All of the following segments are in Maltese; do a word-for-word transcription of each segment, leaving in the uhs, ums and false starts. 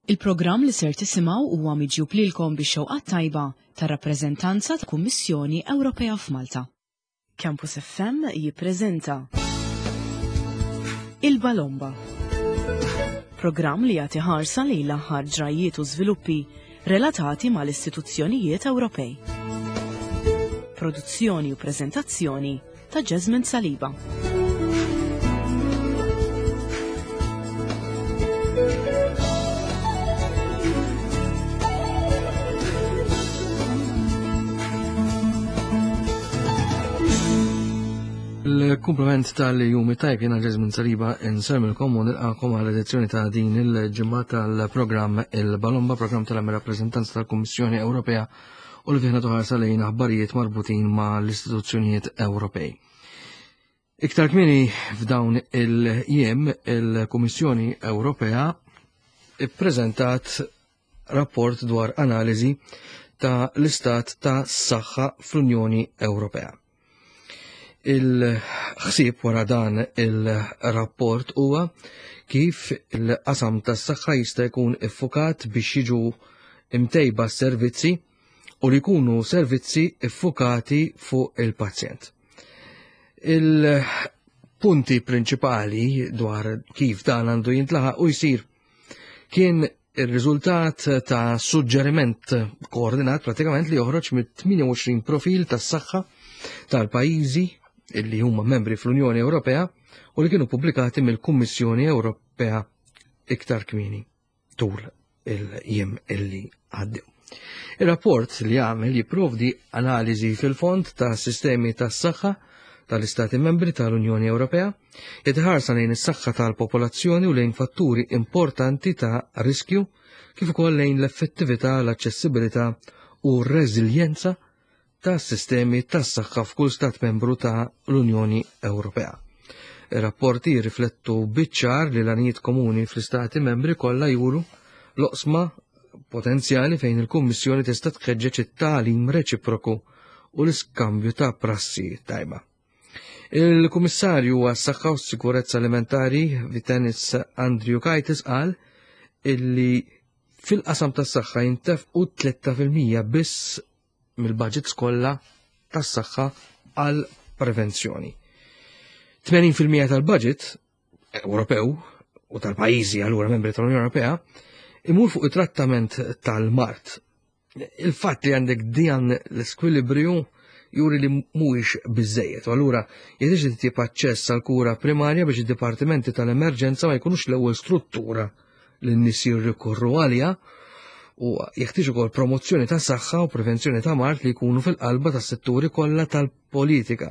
Il-programm li ser tisimgħu huwa miġjub lilkom bix-xewqa tajba tar-rappreżentanza tal-Kummissjoni Ewropea f'Malta. Campus F M jippreżenta Il-Balomba. Programm li jagħti ħarsa lejn l-aħħar ġrajiet u żviluppi relatati mal-istituzzjonijiet Ewropej. Produzzjoni u preżentazzjoni ta' Jasmine Saliba. Il-kumplament tal-jum it-tajjeb, jiena Jasmine Saliba insellmilkom u nilqagħkom għal edizzjoni ta' din il-ġimgħa tal-programm Il-Balomba, programm tal-rappreżentanza tal-Kummissjoni Ewropea u li fih nagħtu ħarsa lejn aħbarijiet marbutin ma' l-istituzzjonijiet Ewropej. Iktar kmieni f'dawn il-jiem il-Kummissjoni Ewropea ippreżentat rapport dwar analiżi ta' l-istat ta' saħħa fl-Unjoni Ewropea. Il-ħsieb wara dan il-rapport huwa kif il-qasam tas-saħħa jista' jkun iffukat biex jiġu imtejba servizzi u li jkunu servizzi iffukati fuq il-pazjent. Il-punti prinċipali dwar kif dan għandu jintlaħaq u jsir kien il-riżultat ta' suġġeriment koordinat pratikament li joħroġ mit-tmienja u għoxrin profil tas-saħħa tal-pajjiżi illi huma membri fl-Unjoni Ewropea u li kienu pubblikati mill-Kummissjoni Ewropea iktar kmieni tul il-jiem illi għaddew. Il-rapport li għamel jipprovdi analiżi fil-fond ta' sistemi tas saħħa tal-Istati membri tal-Unjoni Ewropea, jitħarsa lejn is-saħħa tal-popolazzjoni u lejn fatturi importanti ta' riskju kif ukoll lejn l-effettività, l-aċċessibilità u r-reżiljenza ta' sistemi tas saħħa f'kull stat membru ta' l-Unjoni Ewropea. Ir-rapporti jirriflettu biċ-ċar li l-għanijiet komuni fl-istati membri kollha juru l-oqsma potenzjali fejn il-Kummissjoni tista' tħeġġeġ it-tagħlim reċiproku u l-iskambju ta' prassi tajba. Il-Kummissarju għas-Saħħa u Sikurezza Alimentari Vytenis Andriukaitis qal illi fil-qasam tas-saħħa jintefqu tlieta fil-mija biss mill-budgets kollha tas-saħħa għal prevenzjoni. tmenin fil-mija tal-budget Ewropew u tal-pajjiżi allura membri tal-Unjoni Ewropea imur fuq it-trattament tal-mard. Il-fatt li għandek dijan l-skwilibrju juri li mhuwiex biżejjed. U allura jeħtieġ li titjieb aċċess għal kura primarja biex id-dipartimenti tal-emerġenza ma jkunux l-ewwel struttura li n-nies jirrikorru għalija u jeħtieġ ukoll promozzjoni ta' saħħa u prevenzjoni ta' mard li jkunu fil-qalba tas-setturi kollha tal-politika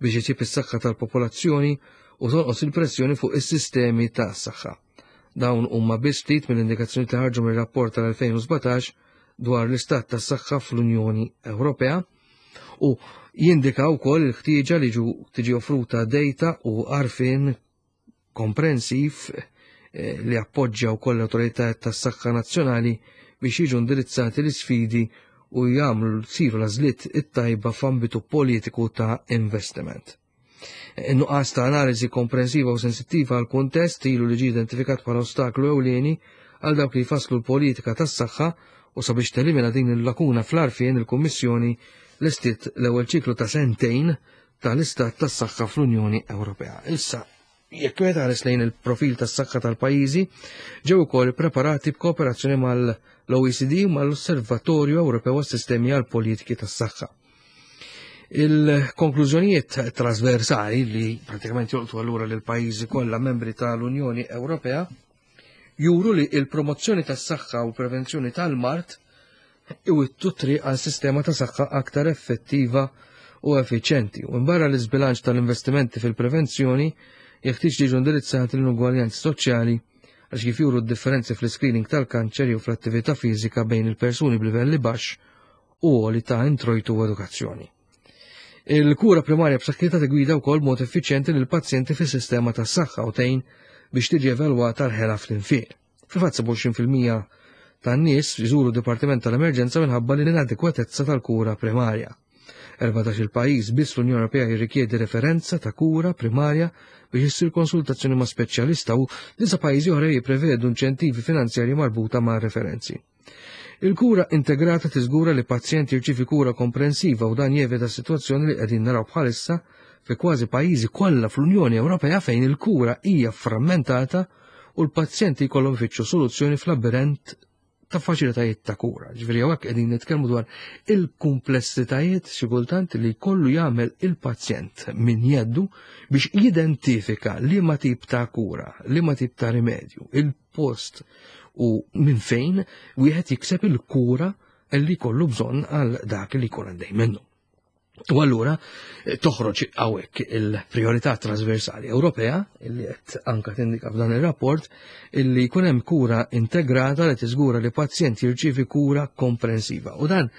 biex jitjieb is-saħħa tal-popolazzjoni u tonqos il-pressjoni fuq is-sistemi ta' saħħa. Dawn huma biss ftit mill-indikazzjoni li ħarġu mir-rapport tal-elfejn u sbatax dwar l-istat tas-saħħa fl-Unjoni Ewropea u jindika wkoll il-ħtieġa li ġu tiġi offruta data u għarfien komprensiv eh, li appoġġja wkoll l-awtoritajiet tas-saħħa nazzjonali biex jiġu indirizzati l-isfidi u jagħmlu siru l-għażliet it-tajba f'ambitu politiku ta' investiment. In-nuqqas ta' analiżi komprensiva u sensittiva għal kuntest ilu li ġi identifikat bħala ostaklu ewlieni għal dawk li jfasslu l-politika tas-saħħa u sabiex telimina din il-lakuna fl-għarfien, il-Kummissjoni lestiet l-ewwel ċiklu ta' sentejn tal-istat tas-saħħa fl-Unjoni Ewropea. Issa, jekk wieħed ħares lejn il-profil tas-saħħa tal-pajjiżi, ġew ukoll preparati b'kooperazzjoni mal-O E C D u mal-Osservatorju Ewropew għas-Sistemi għal-Politiki tas-Saħħa. Il-konklużjonijiet trasversali li pratikament jolqtu allura lil pajjiżi kollha membri tal-Unjoni Ewropea juru li il-promozzjoni tas-saħħa u prevenzjoni tal-mard iwittu triq għal sistema ta' saħħa aktar effettiva u effiċjenti. U barra l-iżbilanċ tal-investimenti fil-prevenzjoni, jeħtieġ li jiġu indirizzati l-inugwaljanzi soċjali għax kif juru d-differenzi fl-screening tal-kanċer jew fl-attività fiżika bejn il-persuni b'livelli baxx u għoli ta' introjtu u edukazzjoni. Il-kura primarja b'saħħitha tigwida wkoll mod effiċjenti lil pazjenti fis-sistema tas-saħħa u tgħin biex tiġi evalwata l-ħela fl-infiq. Fil-fatt, sebgħa u għoxrin fil-mija tan-nies jżuru dipartiment tal-emerġenza minħabba l-inadekwatezza tal-kura primarja. Erbatax-il pajjiż biss fl-Unjoni Ewropea jirrikjedi referenza ta' kura primarja biex issir konsultazzjoni ma' speċjalista u disa' pajjiżi oħra jipprevedu inċentivi finanzjarji marbuta ma' referenzi. Il-kura integrata tiżgura li pazjent jirċievi kura komprensiva u dan jevita sitwazzjoni li qegħdin naraw bħalissa fi kważi pajjiżi kollha fl-Unjoni Ewropea fejn il-kura hija frammentata u l-pazjenti jkollhom ifittxu soluzzjoni fl-labirent ta' faċilitajiet ta' kura. Ġifieri hawnhekk qegħdin nitkellmu dwar il-kumplessitajiet xi kultant li jkollu jagħmel il-pazjent minn jeddu biex jidentifika liema tip ta' kura, liema tip ta' rimedju, il-post u minn fejn wieħed jikseb il-kura li jkollu bżonn għal dak li jkun għaddej minnu. U allura toħroġ hawnhekk il-priorità trasversali Ewropea illi qed anka tindika f'dan ir-rapport illi jkun hemm kura integrata li tiżgura li pazjent jirċievi kura komprensiva. U dan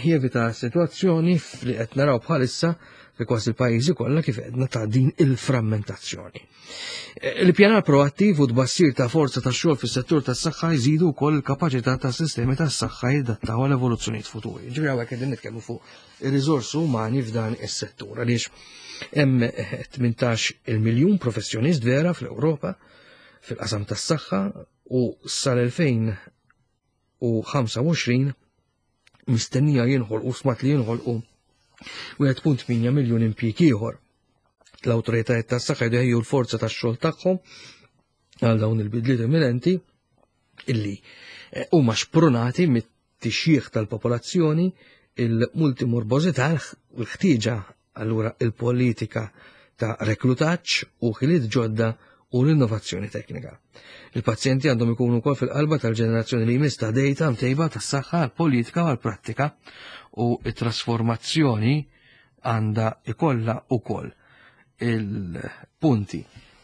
jevita sitwazzjoni li qed naraw bħalissa fi kważi l-pajjiżi kollha kif għedna ta' din il-frammentazzjoni. Il-pjanar proattiv u tbassir ta' forza ta' xogħol fis-settur tas-saħħa jżidu wkoll il-kapaċità tas-sistemi tas-saħħa jadattaw għal evoluzzjonijiet futuri. Ġifieri hawnhekk qegħdin nitkellmu fuq ir-riżorsi umani f'dan is-settur għaliex hemm tmintax il miljun professjonist vera fl-Ewropa fil-qasam tas-saħħa u sal-elfejn u ħamsa u għoxrin mistennija jinħolqu smat li jinħolqu wieħed punt tmienja miljun impjieg ieħor. L-awtoritajiet tas-saħħa jdeħju l-forza tax-xogħol tagħhom għal dawn il-bidliet imminenti illi huma xprunati mit-tixjih tal-popolazzjoni, il-multimorbożità, l-ħtieġa allura il-politika ta' reklutaġġ u ħiliet ġodda u l-innovazzjoni teknika. Il-pazjenti għandhom ikunu wkoll fil-qalba tal-ġenerazzjoni li jmiss ta' data mtejba tas-saħħa għall-politika u għall-prattika u t-trasformazzjoni għandha ikollha wkoll il-punti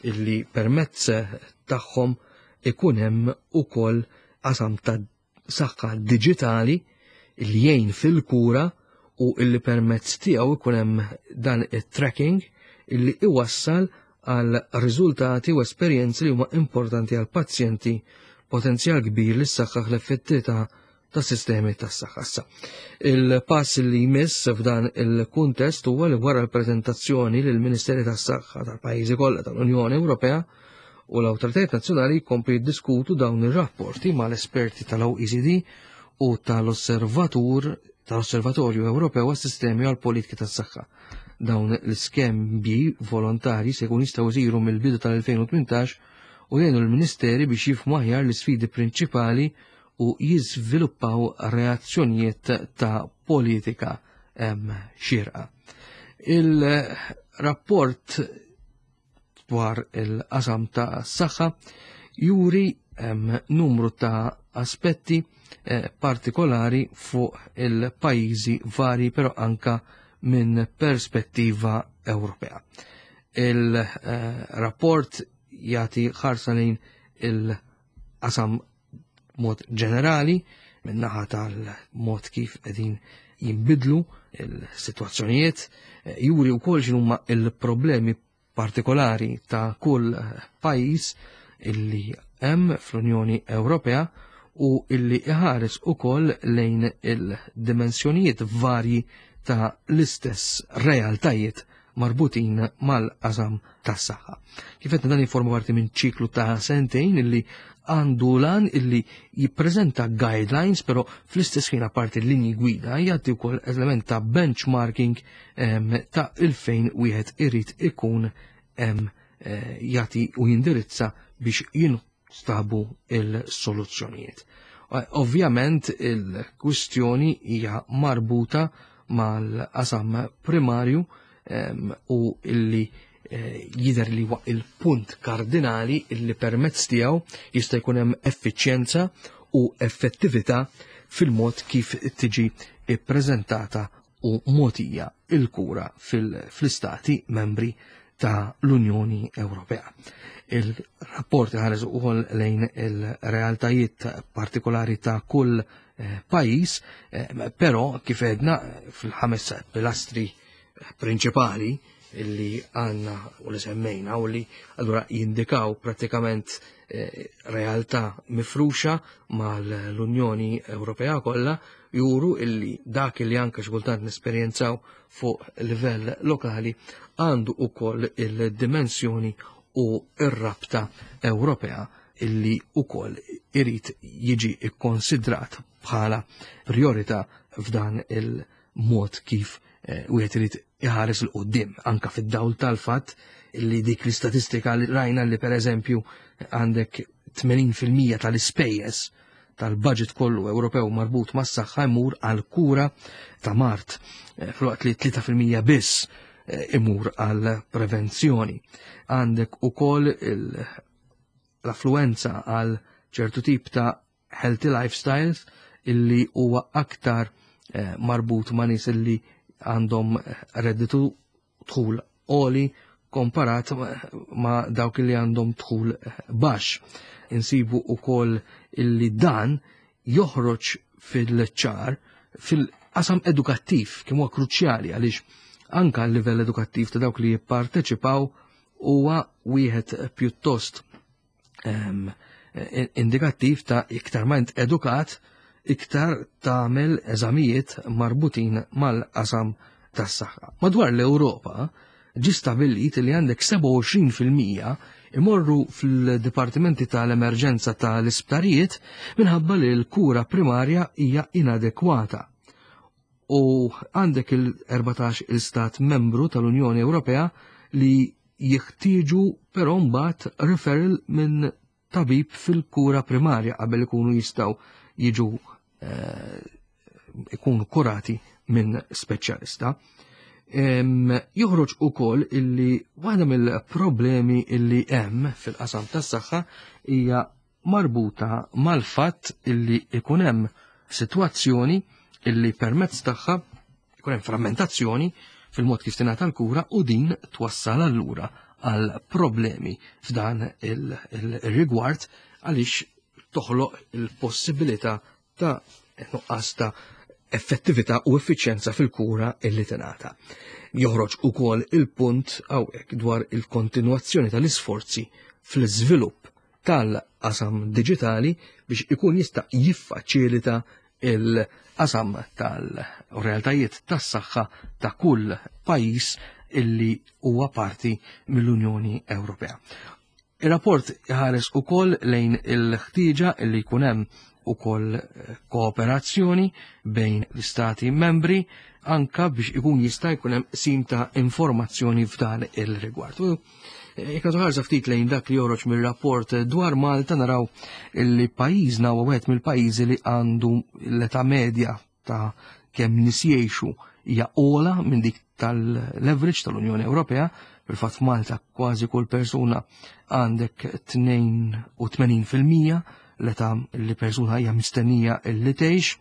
illi permezz tagħhom ikun hemm ukoll qasam ta' saħħa diġitali illi jgħin fil-kura u illi permezz tiegħu ikun hemm dan it-tracking illi iwassal għal riżultati u esperjenzi li huma importanti għal pazjenti, potenzjal kbir li ssaħħaħ l-effettività ta' sistemi tas-saħħa. Issa, il-pass li jmiss f'dan il-kuntest huwa li wara l-preżentazzjoni lill Ministeri tas-Saħħa tal-pajjiżi kollha tal-Unjoni Ewropea u l-awtoritajiet nazzjonali jkomplu jiddiskutu dawn ir-rapporti mal-esperti tal-O E C D u tal-Osservatur tal-Osservatorju Ewropew għas-Sistemi għall-Politika tas-Saħħa. Dawn l-iskembi volontari se jkun jistgħu jsiru mill-bidu tal-elfejn u tmintax u jgħinu l-Ministeri biex jifhmu aħjar l-isfidi prinċipali u jiżviluppaw reazzjonijiet ta' politika, em, xierqa. Il-rapport dwar il-qasam ta' s-saħħa juri, em, numru ta' aspetti, eh, partikolari fuq il-pajjiżi vari, però anka minn perspettiva Ewropea. Il-rapport jagħti ħarsa lejn il-qasam mod ġenerali, minn naħa tal-mod kif qegħdin jinbidlu il-sitwazzjonijiet, juri wkoll x'inhuma il-problemi partikolari ta' kull pajjiż illi hemm fl-Unjoni Ewropea u illi iħares ukoll lejn il-dimensjonijiet varji ta' l-istess realtajiet marbutin mal-qasam tas-saħħa. Kif qed dan jiforma parti minn ċiklu ta' sentejn illi għandu lan illi jippreżenta guidelines, però fl-istess ħin apparti l-linji gwida jagħti wkoll element ta' benchmarking, em, ta' il-fejn wieħed irid ikun, em, eh, jagħti u jindirizza biex jinstabu il-soluzzjonijiet. Eh, ovvjament il-kwistjoni hija marbuta mal-qasam primarju, em, u illi, eh, jidher li huwa il-punt kardinali illi permezz tiegħu jista' jkun hemm effiċjenza u effettività fil-mod kif tiġi ippreżentata u mogħtija il-kura fil-, fl-istati membri ta' l-Unjoni Ewropea. Il-rapport ħares ukoll lejn il-realtajiet partikolari ta' kull, eh, pajjiż, eh, però kif għedna fil-ħames pilastri prinċipali illi għandna u li semmejna u li allura jindikaw pratikament eh, realtà mifruxa mal-Unjoni Ewropea kollha juru illi dak li anke xi kultant nesperjenzaw fuq livell lokali għandu ukoll il-dimensjoni u ir-rabta Ewropea illi ukoll irid jiġi ikkonsidrat bħala priorità f'dan il-mod kif eh, wieħed irid iħares 'l quddiem anka fid-dawl tal-fatt illi dik l-istatistika li rajna li pereżempju għandek tmenin fil-mija tal-ispejjeż tal-budget kollu Ewropew marbut mas-saħħa jmur għal kura ta' mard, eh, filwaqt li tlieta fil-mija biss eh, imur għal prevenzjoni. Għandek ukoll l-affluenza għal ċertu tip ta' healthy lifestyles illi huwa aktar eh, marbut ma' nies illi għandhom redditu dħul għoli komparat ma' dawk li għandhom dħul baxx. Insibu ukoll illi dan joħroġ fil-ċar fil-qasam edukattiv, kemm huwa kruċjali, għaliex anka l-livell edukattiv ta' dawk li jipparteċipaw huwa wieħed pjuttost um, indikattiv ta' iktar ma edukat, iktar tagħmel eżamijiet marbutin mal-qasam tas-saħħa. Madwar l-Ewropa ġi stabbilit li għandek sebgħa u għoxrin fil-mija imorru fil-dipartimenti tal-emerġenza tal-isptarijiet minħabba li l-kura primarja hija inadekwata. U għandek il-erbatax il-stat membru tal-Unjoni Ewropea li jeħtieġu però mbagħad referral minn tabib fil-kura primarja qabel ikunu jistgħu jiġu eh, ikunu kurati minn speċjalista. Joħroġ ukoll illi waħda mill-problemi illi hemm fil-qasam tas-saħħa hija marbuta mal-fatt illi ikun hemm sitwazzjoni illi permezz tagħha ikun hemm frammentazzjoni fil-mod kif tingħata l-kura u din twassal allura għal problemi f'dan il-rigward għaliex toħloq il-possibilità ta' nuqqas ta' effettività u effiċjenza fil-kura illi tingħata. Joħroġ ukoll il-punt hawnhekk dwar il-kontinwazzjoni tal-isforzi fl-iżvilupp tal-qasam diġitali biex ikun jista' jiffaċilita il-qasam tal-realtajiet tas-saħħa ta' kull pajjiż illi huwa parti mill-Unjoni Ewropea. Il-rapport ħares ukoll lejn il-ħtieġa illi jkun hemm ukoll kooperazzjoni bejn l-istati membri anka biex ikun jista' jkun hemm qsim ta' informazzjoni f'dan il-rigward. Jekk ħarsa ftit lejn dak li joħroġ mir-rapport dwar Malta, naraw li pajjiżna huwa wieħed mill-pajjiżi li għandu l-età medja ta' kemm nies jgħixu hija ogħla minn dik tal-average tal-Unjoni Ewropea. Fil-fatt, Malta kważi kull persuna għandek tnejn u tmenin fil-mija l-età li persuna hija mistennija li tgħix.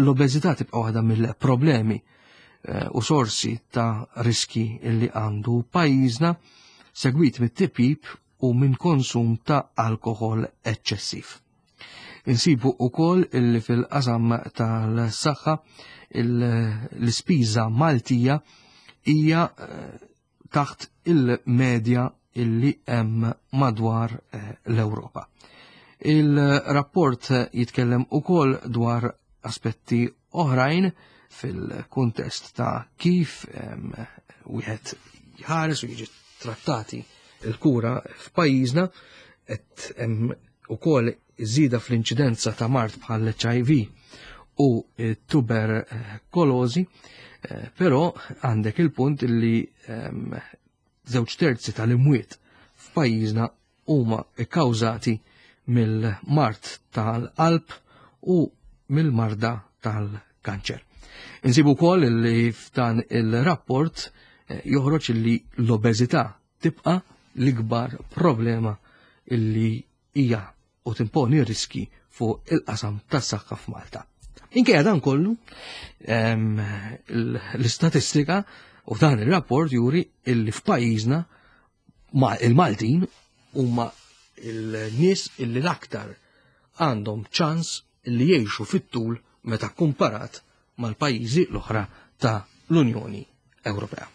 L-obeżità tibqa' waħda mill-problemi eh, u sorsi ta' riski li għandu pajjiżna, segwit mit-tipjip u minn konsum ta' alkohol eċċessiv. Insibu ukoll illi fil-qasam tal-saħħa l-ispiża Maltija hija eh, taħt il-medja illi hemm madwar eh, l-Ewropa. Il-rapport jitkellem ukoll dwar aspetti oħrajn fil-kuntest ta' kif wieħed jħares u jiġi trattati il-kura f'pajjiżna. Qed hemm ukoll żieda fl-inċidenza ta' mard bħal H I V u tuberkolożi, eh, però għandek il-punt li żewġ terzi tal-imwiet f'pajjiżna huma kkawżati mill-mard tal-qalb u mill-marda tal-kanċer. Insibu wkoll li f'dan il-rapport eh, joħroġ li l-obeżità tibqa' l-ikbar problema illi hija u timponi riski fuq il-qasam tas-saħħa f'Malta. Minkejja dan kollu, l-istatistika u dan il-rapport juri illi f'pajjiżna il-Maltin huma il-nies illi l-aktar għandhom ċans li jgħixu fit-tul meta komparat mal-pajjiżi l-oħra ta' l-Unjoni Ewropea.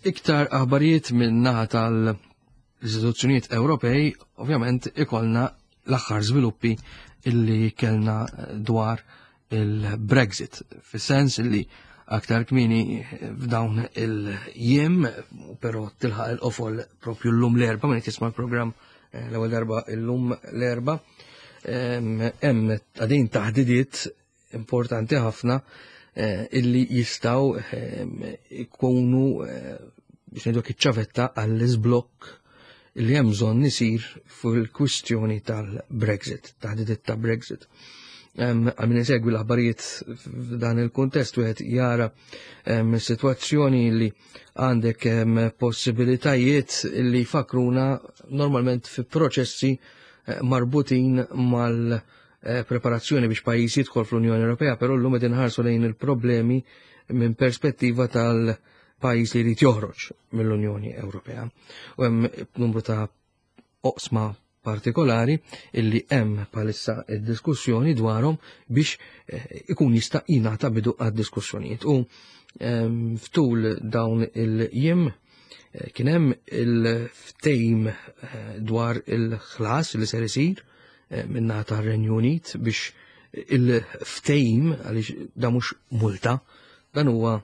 Iktar aħbarijiet minn naħa tal-istituzzjonijiet Ewropej, ovvjament ikollna l-aħħar żviluppi illi kellna dwar il-Brexit, fis-sens illi aktar kmieni f'dawn il-jiem, però tilħaq il-qofol propju l-lum l-Erbgħa, minn tisma' l-programm eh, l-ewwel darba l-lum l-Erbgħa, hemm għadin taħdidiet importanti ħafna eh, illi jistgħu ikunu eh, biex ngħidu iċ-ċavetta għall-iżblokk illi hemm bżonn isir fil-kwistjoni tal-Brexit, taħdidiet ta' Brexit. Għal min isegwi l-aħbarijiet f'dan il-kuntest wieħed jara sitwazzjoni li għandek possibilitajiet li fakruna normalment fi proċessi eh, marbutin mal-preparazzjoni biex pajjiż jidħol fl-Unjoni Ewropea, però llum qed inħarsu lejn il-problemi minn perspettiva tal-pajjiż li jrid joħroġ mill-Unjoni Ewropea. U hemm numru ta' oqsma partikolari illi hemm bħalissa id-diskussjoni dwarhom biex eh, ikun jista' jingħata bidu għad-diskussjonijiet. U ehm, ftul dawn il-jiem eh, kien hemm il-ftehim eh, dwar il-ħlas li ser isir min-naħa tar-Renju Unit biex il-ftehim, għaliex da mhux multa, dan huwa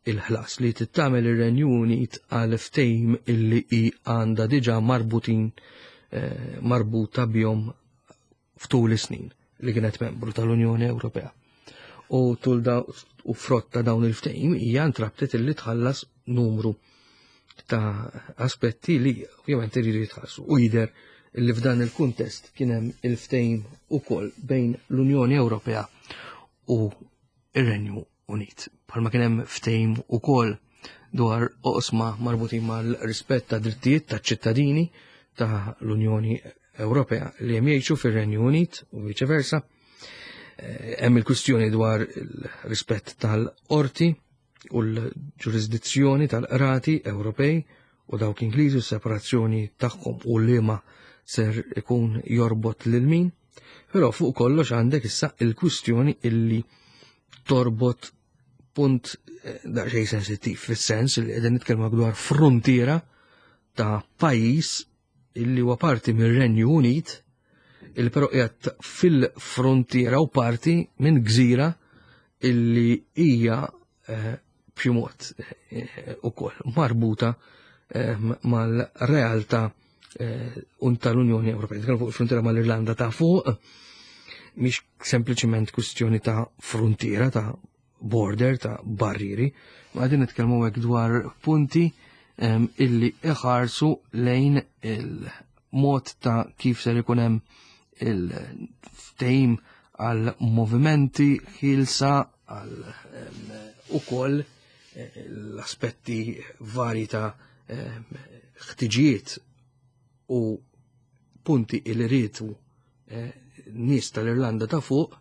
il-ħlas li tittamel ir-Renju Unit għal ftehim illi hi għandha diġà marbutin Eh, marbuta bihom ftul is-snin li kienet membru tal-Unjoni Ewropea. U tul da u frott ta' dawn il-ftehim hija ntrabtet illi tħallas numru ta' aspetti li ovvjament iridu jitħallsu. U jidher li f'dan il-kuntest kien hemm il-ftehim ukoll bejn l-Unjoni Ewropea u ir-Renju Unit. Bħalma kien hemm ftehim ukoll dwar oqsma marbutin mal-rispett ta' drittijiet ta' ċittadini ta' l-Unjoni Ewropea li hemm jgħixu fir-Renju Unit u viċe versa. Eh, hemm il-kwistjoni dwar il-rispett tal-qorti u l-ġurisdizzjoni tal-qrati Ewropej u dawk Ingliżi u separazzjoni tagħhom u liema ser ikun jorbot lil min. Però fuq kollox għandek issa il-kwistjoni illi torbot punt eh, daqsxejn sensittiv fis-sens li qegħdin nitkellmu dwar frontiera ta' pajjiż illi huwa parti mir-Renju Unit, illi però qiegħed fil-frontiera u parti minn gżira illi hija eh, b'xi mod eh, ukoll marbuta eh, mal-realtà un tal-Unjoni Ewropea. Nitkellmu fuq il-frontiera mal-Irlanda ta' fuq, mhix sempliċiment kwistjoni ta' frontiera, ta' border, ta' barriri, ma qegħdin nitkellmu hekk dwar punti illi iħarsu lejn il-mod ta' kif ser ikun hemm il-ftehim għal movimenti ħielsa għal ukoll eh, l-aspetti vari ta' ħtiġijiet u punti illi riedu eh, nies tal-Irlanda ta' fuq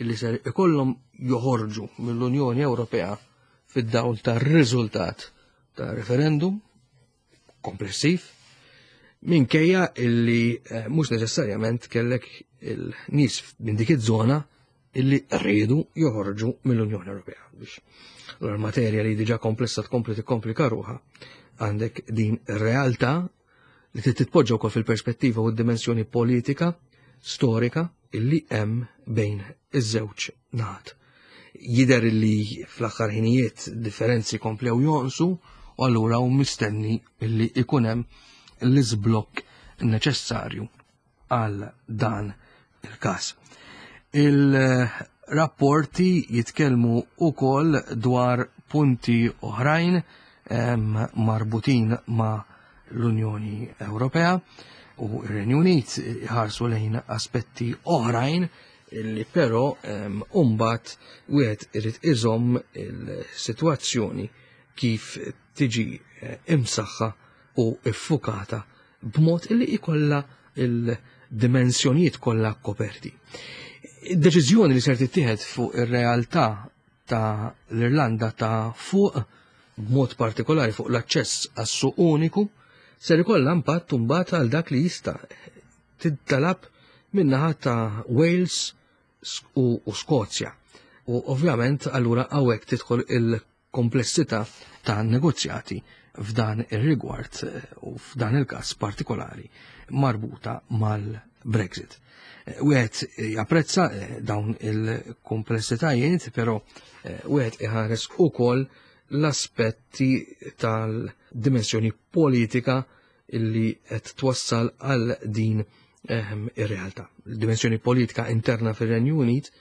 illi ser ikollhom joħorġu mill-Unjoni Ewropea fid-dawl tar-riżultat ta' referendum komplessiv minkejja illi eh, mhux neċessarjament kellek il-nies minn dik iż-żona illi rridu joħorġu mill-Unjoni Ewropea biex l-materja li diġà komplessa tkompli tikkomplika ruħha għandek din realtà li titpoġġa wkoll fil-perspettiva u d-dimensjoni politika storika illi hemm bejn iż-żewġ naħat. Jidher illi fl-aħħar ħinijiet differenzi komplew jonqsu u allura hu mistenni illi ikun hemm l-iżblokk neċessarju għal dan il-każ. Il-rapporti jitkellmu ukoll dwar punti oħrajn marbutin ma' l-Unjoni Ewropea u r-Renju Unit ħarsu lejn aspetti oħrajn illi però mbagħad wieħed irid iżomm il-sitwazzjoni kif tiġi eh, imsaħħa u iffukata b'mod illi ikolla il-dimensjonijiet kollha koperti. Id-deċiżjoni li ser tittieħed fuq ir-realtà ta' l-Irlanda ta' fuq b'mod partikolari fuq l-aċċess għas-suq uniku ser ikollha impatt imbagħad għal dak li jista' tittalab min-naħa ta' Wales u, u Skozja. U ovvjament allura hawnhekk tidħol il-komplessità ta' negozjati f'dan ir-rigward u f'dan il-każ partikolari marbuta mal-Brexit. Wieħed japprezza dawn il-komplessitajiet, però wieħed iħares ukoll l-aspetti tal-dimensjoni politika illi qed twassal għal din ehm, ir-realtà. Il-dimensjoni politika interna fir-Renju Unit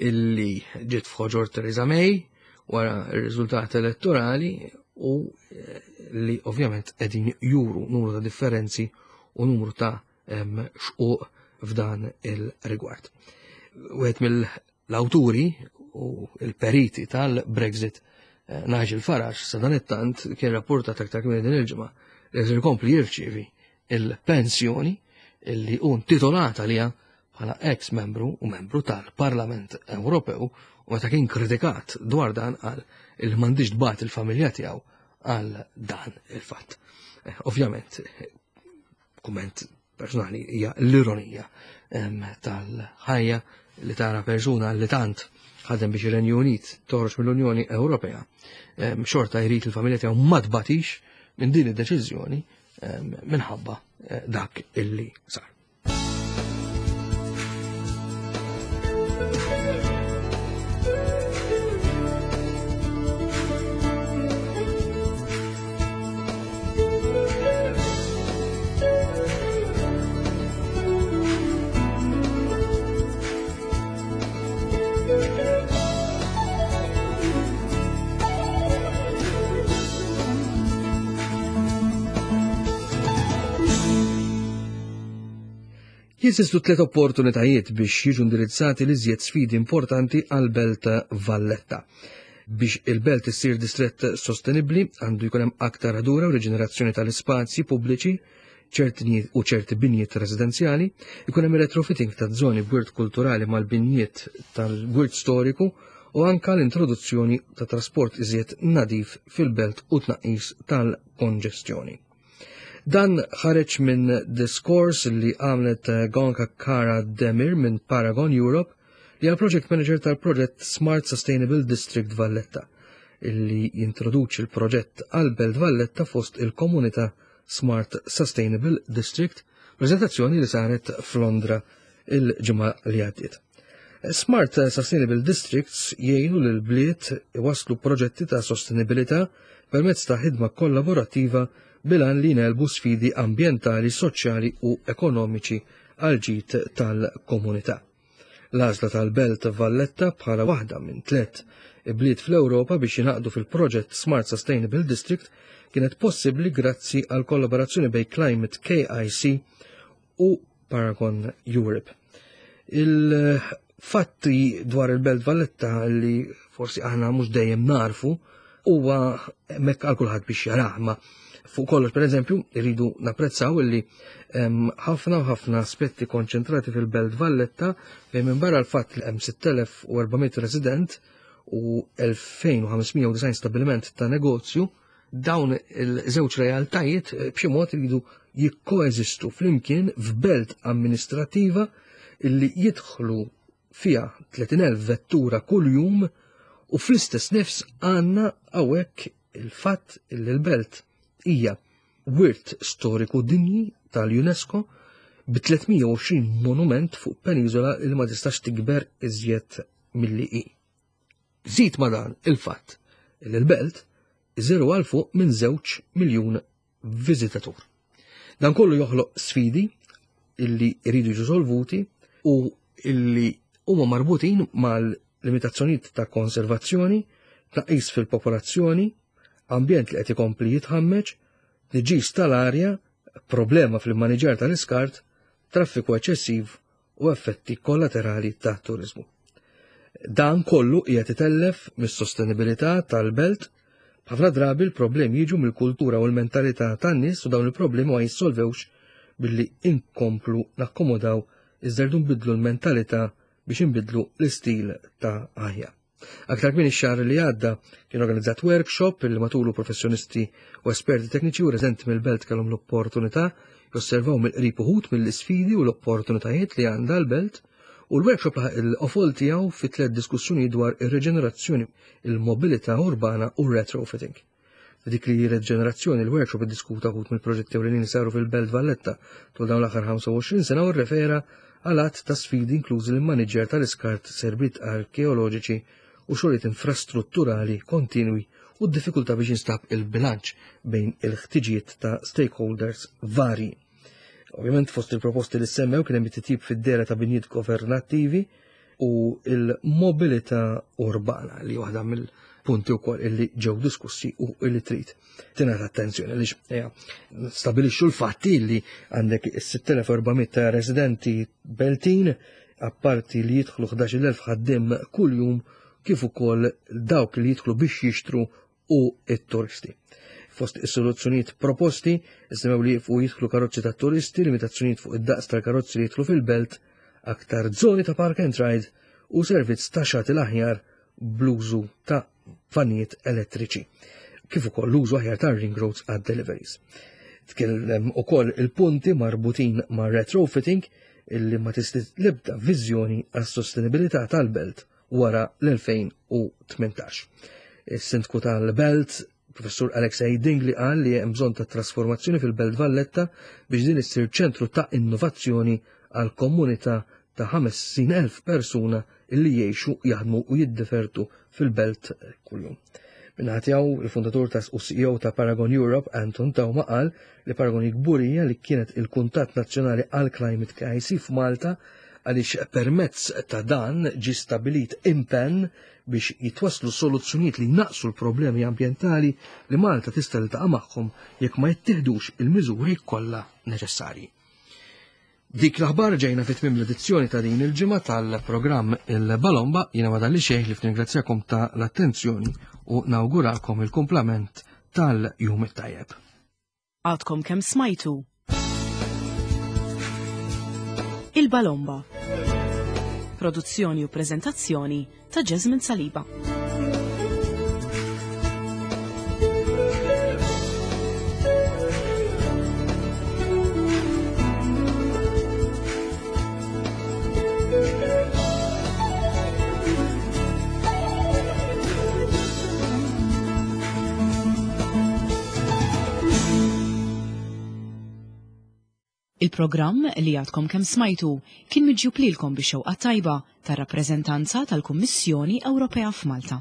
illi ġiet f'ħoġor Theresa May wara r-riżultat elettorali u eh, li ovvjament qegħdin juru numru ta' differenzi u numru ta' ehm, xquq f'dan il-rigward. Wieħed mill-awturi u il-periti tal-Brexit, eh, Nigel Farage, sa dan it-tant kien rapportat aktar kmieni din il-ġimgħa li se jkompli jirċievi il-pensjoni illi hu intitolat għaliha bħala ex membru u membru tal-Parlament Ewropew, u meta kien kritikat dwar dan qal il m'għandix tbati il-familja tiegħu għal dan il-fatt. Eh, ovvjament, kumment personali hija l-ironija tal-ħajja li tara persuna li tant ħadem biex ir-Renju Unit toħroġ mill-Unjoni Ewropea, xorta jrid il-familja tiegħu ma tbatix minn din id-deċiżjoni minħabba eh, dak illi sar. Jeżistu tliet opportunitajiet biex jiġu indirizzati l-iżjed sfidi importanti għal-Belt Valletta. Biex il-belt issir distrett sostenibbli għandu jkun hemm aktar ħdura u riġenerazzjoni tal-ispazji pubbliċi, ċerti u ċerti binjiet residenzjali, ikun hemm retrofitting ta' żoni b'wirt kulturali mal-binjiet tal-wirt storiku u anka l-introduzzjoni ta' trasport iżjed nadif fil-belt u tnaqqis tal-konġestjoni. Dan ħareġ minn diskors li għamlet Gonka Kara Demir minn Paragon Europe, li għal project manager tal-proġett Smart Sustainable District Valletta, illi jintroduċi l-proġett għal-Belt Valletta fost il-komunità Smart Sustainable District, prezentazzjoni li saret f'Londra il-ġimgħa li għaddiet. Smart Sustainable Districts jgħinu lil bliet iwasslu proġetti ta' sostenibilità permezz ta' ħidma kollaborattiva bil-għan li nelbu sfidi ambjentali, soċjali u ekonomiċi għal ġid tal-komunità. L-għażla tal-Belt Valletta bħala waħda minn tliet bliet fl-Ewropa biex jingħaqdu fil-proġett Smart Sustainable District kienet possibbli grazzi għal kollaborazzjoni bejn Climate K I C u Paragon Europe. Il-fatti dwar il-Belt Valletta li forsi aħna mhux dejjem narfu huwa hemmhekk għal kulħadd biex jarah, ma fuq kollox, per eżempju, irridu napprezzaw illi hemm ħafna u ħafna aspetti konċentrati fil-Belt Valletta fejn minn barra l-fatt li hemm sitt elef u erba' mitt resident u elfejn u ħames mija u disgħin stabiliment ta' negozju, dawn il-żewġ realtajiet b'xi mod iridu jikkoeżistu flimkien f'belt amministrativa illi jidħlu fiha tletin elf vettura kuljum, u fl-istess nifs għandna hawnhekk il-fatt illi l-belt hija wirt storiku dinji tal-UNESCO bi tliet mija u għoxrin monument fuq peniżola li ma tistax tikber iżjed milli hi. Żid ma dan il-fatt li l-belt iżiru għal fuq minn żewġ miljun viżitatur. Dan kollu joħloq sfidi illi jridu jiġu solvuti u illi huma marbutin mal-limitazzjonijiet ta' konservazzjoni, tnaqqis fil-popolazzjoni, ambjent li qed ikompli jitħammeġ, tniġġis tal-arja, problema fil-maniġar tal-iskart, traffiku eċċessiv u effetti kollaterali ta' turizmu. Dan kollu qiegħed itellef mis-sostenibilità tal-belt. Ħafna drabi l-problemi jiġu mill-kultura u l-mentalità tan-nies u dawn il-problemi ma jissolvewx billi inkomplu nakkomodaw iżda rridu nbidlu l-mentalità biex inbidlu l-istil ta' ħajja. Aktar kmieni x-xahar li għadda kien organizzat workshop li matulu professjonisti u esperti tekniċi u residenti mill-belt kellhom l-opportunità josservaw mill-qrib uħud mill-isfidi u l-opportunitajiet li għandha l-belt, u l-workshop laħaq il-qofol tiegħu fi tliet diskussjoni dwar ir-reġenerazzjoni, il-mobilità urbana u r-retrofitting. F'dik li reġenerazzjoni, il-workshop iddiskuta wħud mill-proġetti ewlenin li saru fil-Belt Valletta tul dawn l-aħħar ħamsa u għoxrin sena u rrefera għal għadd ta' sfidi, inklużi l-immaniġġjar tal-iskart, serbiet arkeoloġiċi u xogħlijiet infrastrutturali kontinwi u d-diffikultà biex jinstab il-bilanċ bejn il-ħtiġijiet ta' stakeholders vari. Ovvjament, fost il-proposti li semmew kien hemm it-titjib fid-dehra ta' binjiet governattivi u il-mobilità urbana, li waħda mill-punti wkoll illi ġew diskussi u illi trid tingħata attenzjoni, li stabilixxu l-fatti li għandek is-sitt elef u erba' mitt ta' residenti Beltin, apparti li jidħlu ħdax-il elf ħaddim kuljum, kif ukoll dawk li jidħlu biex jixtru u it-turisti. Fost is-soluzzjonijiet proposti, semmew li fuq jidħlu karozzi ta' turisti, limitazzjonijiet fuq id-daqs tal-karozzi li jidħlu fil-belt, aktar zoni ta' park and ride u servizz ta' shuttle aħjar bl-użu ta' vanijiet elettriċi, kif ukoll l-użu aħjar ta' ring roads għad deliveries. Tkellem ukoll il-punti marbutin ma' retrofitting, illi ma tista' l-ebda viżjoni għas sostenibilità tal-belt wara l-elfejn u tmintax. Is-sindku tal-belt, Professur Alexei Dingli, qal li hemm bżonn ta' trasformazzjoni fil-Belt Valletta biex din issir ċentru ta' innovazzjoni għal komunità ta' ħamsin elf persuna illi jgħixu, jaħdmu u jiddivertu fil-belt kuljum. Min-naħa tiegħu, il-fundatur ta' u C E O ta' Paragon Europe, Anton Teuma, qal li Paragon kburija li kienet il-kuntatt nazzjonali għal Climate Crisis f'Malta, għaliex permezz ta' dan ġi stabilit impenn biex jitwaslu soluzzjonijiet li naqsu l-problemi ambientali li Malta tista' tiltaqa' magħhom jekk ma jittieħdux il-miżuri kollha neċessarji. Dik l-aħbar ġejna fit tmiem l-edizzjoni ta' din il-ġimgħa tal-programm Il-Balomba. Jiena ma fadalli xejn ħlief nirringrazzjakom ta' l-attenzjoni u nawgurakom il-kumplament tal-jum it-tajjeb. Għadkom kemm smajtu Il-Balomba. Produzzjoni u prezentazzjoni ta' Jasmine Saliba. Il-programm li għadkom kemm smajtu kien miġjub lilkom bix-xewqa tajba tar-rappreżentanza tal-Kummissjoni Ewropea f'Malta.